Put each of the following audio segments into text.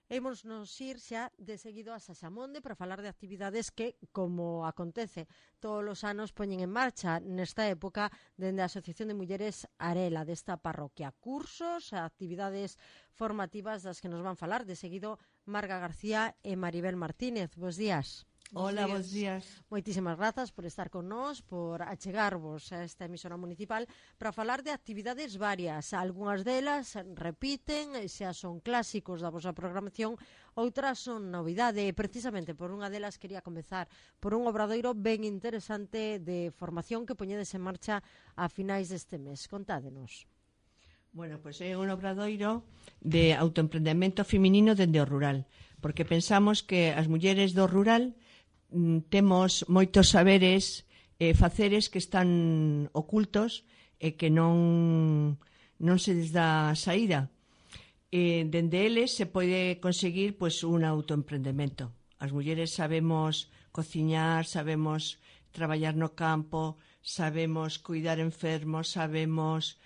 Imos nos ir xa de seguido a Saxamonde para falar de actividades que, como acontece todos os anos, poñen en marcha nesta época dende a Asociación de Mulleres Arela desta parroquia. Cursos, actividades formativas das que nos van falar de seguido Marga García e Maribel Martínez. Bos días. Hola, bons días. Moitísimas grazas por estar con nós, por achegarvos a esta emisora municipal para falar de actividades varias. Algúnas delas repiten, xa son clásicos da vosa programación, outras son novidade. E precisamente por unha delas quería comezar por un obradoiro ben interesante de formación que poñedes en marcha a finais deste mes. Contádenos. Bueno, pois é un obradoiro de autoemprendemento feminino dende o rural, porque pensamos que as mulleres do rural temos moitos saberes e faceres que están ocultos e que non se les dá saída. Dende eles se pode conseguir pois, un autoemprendemento. As mulleres sabemos cociñar, sabemos traballar no campo, sabemos cuidar enfermos, sabemos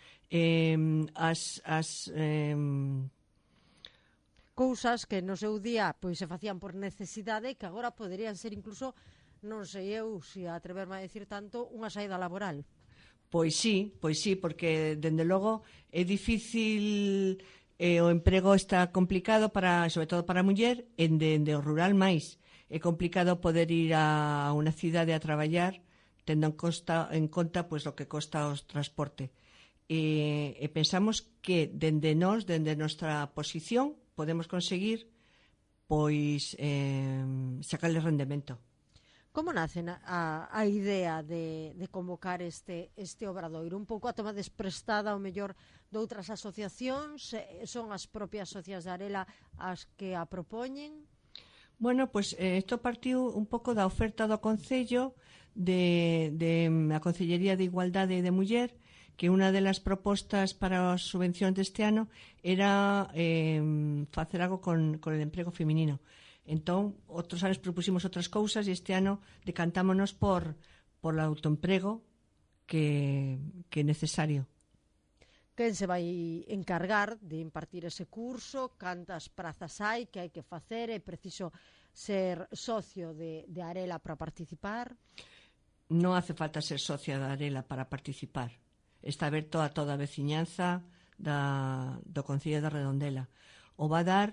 cousas que no seu día pois se facían por necesidade que agora poderían ser incluso, non sei eu se atreverme a decir tanto, unha saída laboral. Pois sí, porque dende logo é difícil, o emprego está complicado sobre todo para a muller, dende o rural máis. É complicado poder ir a unha cidade a traballar tendo en conta pois o que costa o transporte. E pensamos que dende nosa posición podemos conseguir pois sacarle rendemento. Como nace a idea de convocar este obradoiro? Un pouco a toma desprestada ao mellor de outras asociacións? Son as propias socias de Arela as que a propoñen? Bueno, pois isto partiu un pouco da oferta do Concello de a Concellería de Igualdade de Muller, que unha das propostas para as subvencións deste ano era facer algo con o emprego feminino. Entón, outros anos propusimos outras cousas e este ano decantámonos por o autoemprego que é necesario. Quen se vai encargar de impartir ese curso? Cantas prazas hai que hai que facer? É preciso ser socio de Arela para participar? Non hace falta ser socia da Arela para participar. Está aberto a toda a veciñanza do Concello de Redondela. O va a dar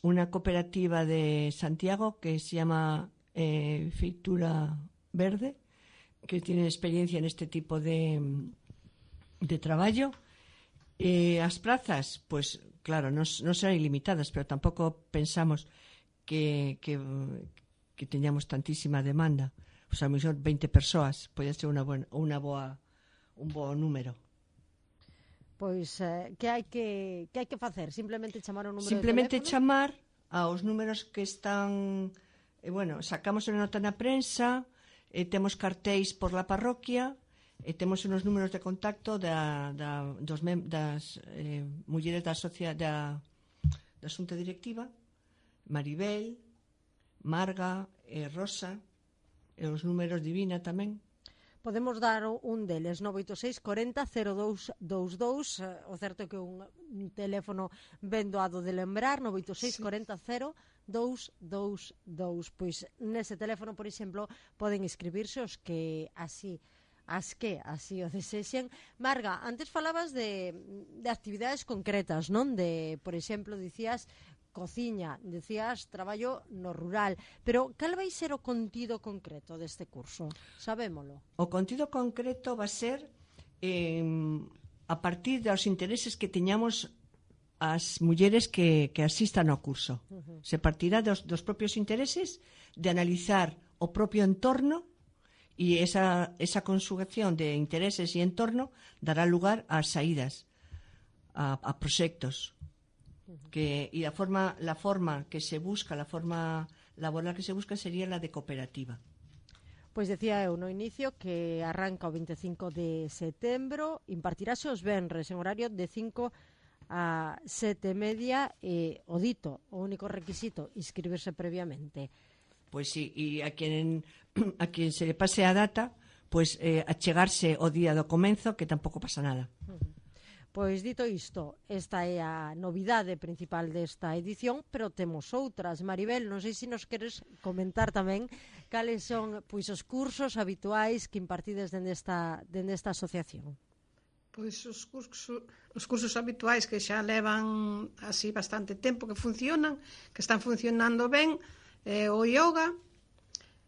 unha cooperativa de Santiago que se llama Feitura Verde, que tiene experiencia en este tipo de traballo. As plazas, pues claro, non serán ilimitadas, pero tampouco pensamos que teñamos tantísima demanda. Pues a lo mellor 20 persoas pode ser un bo número. Pois, que hai que facer? Simplemente chamar o número Simplemente de teléfono? chamar aos números que están... sacamos unha nota na prensa, temos cartéis por la parroquia, temos uns números de contacto das mulleres da xunta directiva, Maribel, Marga, Rosa, e os números Divina tamén. Podemos dar un deles, 986 40 0222, o certo é que un teléfono ben doado de lembrar, 986 40 0222. Pois nese teléfono, por exemplo, poden inscribirse os que así o desexen. Marga, antes falabas de actividades concretas, non? Por exemplo, dicías cociña, decías traballo no rural, pero cal vai ser o contido concreto deste curso? Sabémolo. O contido concreto va a ser a partir dos intereses que teñamos as mulleres que asistan ao curso. Se partirá dos propios intereses, de analizar o propio entorno, e esa conjugación de intereses e entorno dará lugar a saídas, a proxectos. La forma que se busca, la forma laboral que se busca sería la de cooperativa. Pois decía eu no inicio que arranca o 25 de setembro, impartirase os venres en horario de 5 a 7:30 e o dito, o único requisito, inscribirse previamente. Pois sí, e a quen se le pase a data, pois achegarse o día do comenzo, que tampouco pasa nada. Pois dito isto, esta é a novidade principal desta edición, pero temos outras. Maribel, non sei se nos queres comentar tamén cales son pois os cursos habituais que impartides dende esta asociación. Pois os cursos habituais que xa levan así bastante tempo que funcionan, que están funcionando ben, o yoga,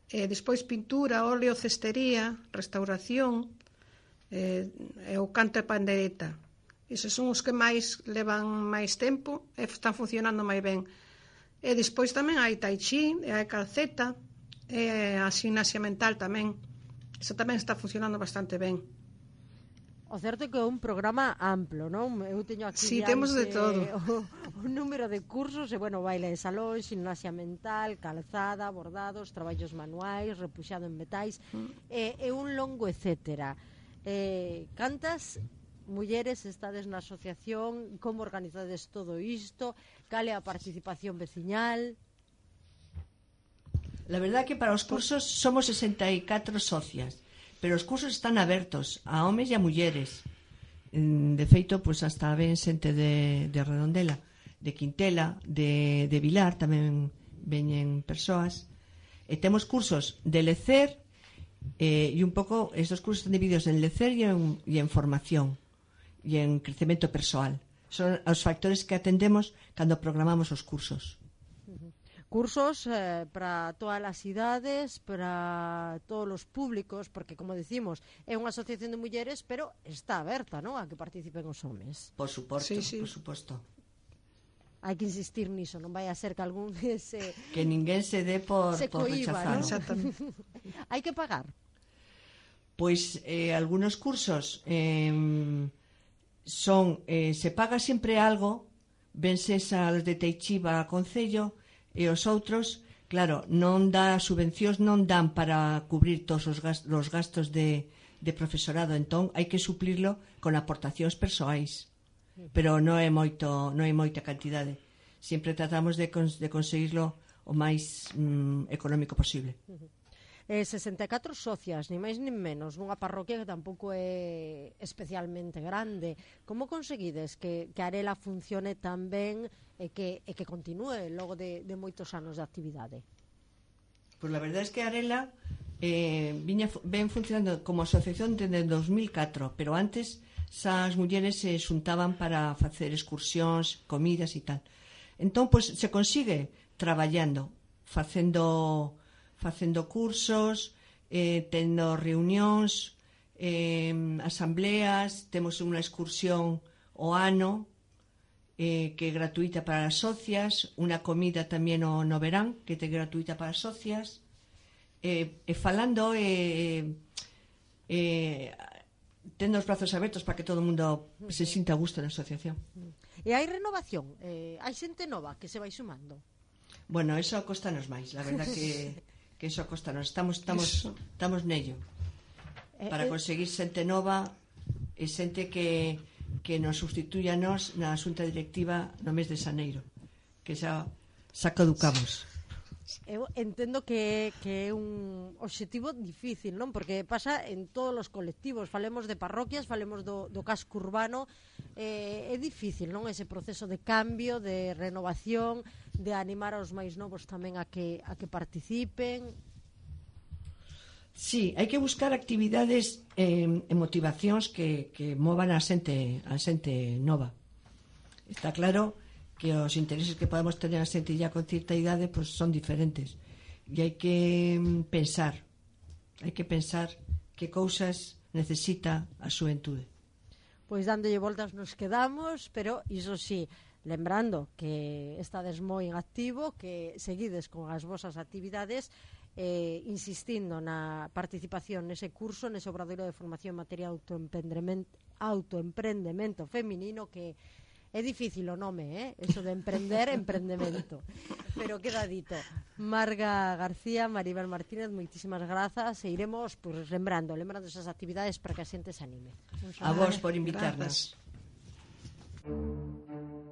despois pintura, óleo, cestería, restauración, o canto e pandereta. Eses son os que máis levan máis tempo e están funcionando máis ben. E despois tamén hai tai chi, e hai calceta, e a gimnasia mental tamén. Eso tamén está funcionando bastante ben. O certo é que é un programa amplo, non? Eu teño aquí sí, temos de todo. O número de cursos, e bueno, baile de salón, gimnasia mental, calzada, bordados, traballos manuais, repuxado en metais, e un longo etcétera. Cantas mulleres estades na asociación, como organizades todo isto, cal é a participación veciñal? La verdad que para os cursos somos 64 socias, pero os cursos están abertos a homes e a mulleres. De feito, pois hasta ven xente de Redondela, de Quintela, de Vilar, tamén veñen persoas. E temos cursos de lecer, e un pouco, estos cursos están divididos en lecer e en formación e en crecemento persoal. Son os factores que atendemos cando programamos os cursos. Cursos para todas as idades, para todos os públicos, porque, como decimos, é unha asociación de mulleres, pero está aberta, non?, a que participen os homes. Por suposto, sí. por suposto. Hai que insistir niso, non vai a ser que algún que ninguén se dé por rechazado. Hai que pagar. Pois algunos cursos se paga sempre algo, venses aos de Teichiva a Concello, e os outros, claro, non dá subvencións, non dan para cubrir todos os gastos de profesorado, entón hai que suplirlo con aportacións persoais, pero non é moita cantidade. Sempre tratamos de conseguirlo o máis económico posible. 64 socias, ni máis nin menos, nunha parroquia que tampouco é especialmente grande. Como conseguides que Arela funcione tan ben e que continúe logo de moitos anos de actividade? Pois a verdade é que Arela ven funcionando como asociación desde 2004, pero antes as mulleres se xuntaban para facer excursións, comidas e tal. Entón, pois, se consigue traballando, facendo cursos, tendo reunións, asambleas, temos unha excursión o ano que é gratuita para as socias, unha comida tamén no verán que é gratuita para as socias, falando tendo os brazos abertos para que todo o mundo se sinta a gusto na asociación. E hai renovación? Hai xente nova que se vai sumando? Bueno, eso costanos máis, la verdad que eso costanos, estamos nello para conseguir xente nova e xente que nos sustituya nos na xunta directiva no mes de xaneiro, que xa caducamos. Eu entendo que é un obxectivo difícil, non? Porque pasa en todos os colectivos, falemos de parroquias, falemos do casco urbano, é difícil, non? Ese proceso de cambio, de renovación, de animar aos máis novos tamén a que participen. Sí, hai que buscar actividades e motivacións que movan a xente nova. Está claro que os intereses que podemos tener a xente ya con certa idade pues, son diferentes e hai que pensar que cousas necesita a xuventude. Pois dándolle voltas nos quedamos, pero iso sí, lembrando que estades moi en activo, que seguides con as vosas actividades, insistindo na participación nese curso, nese obradoiro de formación en materia de autoemprendemento feminino, que é difícil o nome, eso de emprendemento, pero queda dito. Marga García, Maribel Martínez, moitísimas grazas, e iremos pues, lembrando esas actividades para que a xente se anime. A vos por invitarnos. Grazas.